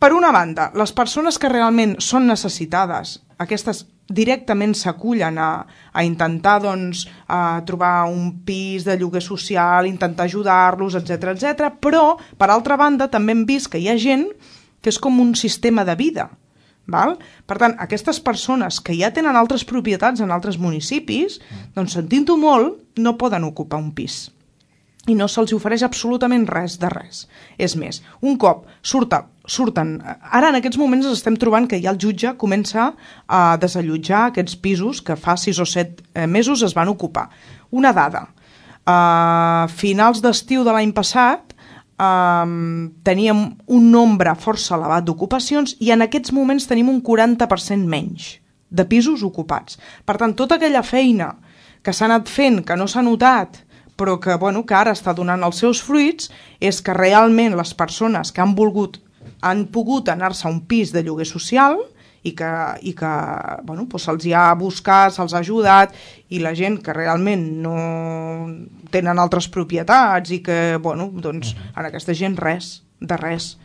Per una banda, les persones que realment són necessitades, aquestes directament s'acullen a intentar trobar un pis de lloguer social, intentar ajudar-los, etc. Però, per altra banda, també hem vist que hi ha gent que és com un sistema de vida. Val? Per tant, aquestes persones que ja tenen altres propietats en altres municipis, doncs sentint-ho molt, no poden ocupar un pis. I no se'ls ofereix absolutament res de res. És més, un cop surten... Ara en aquests moments ens estem trobant que ja el jutge comença a desallotjar aquests pisos que fa 6 o 7 mesos es van ocupar. Una dada. A finals d'estiu de l'any passat teníem un nombre força elevat d'ocupacions i en aquests moments tenim un 40% menys de pisos ocupats. Per tant, tota aquella feina que s'ha anat fent, que no s'ha notat, però que ara està donant els seus fruits, és que realment les persones que han pogut anar-se a un pis de lloguer social i que se'ls hi ha buscat, se'ls ha ajudat, i la gent que realment no tenen altres propietats i que, en aquesta gent res, de res.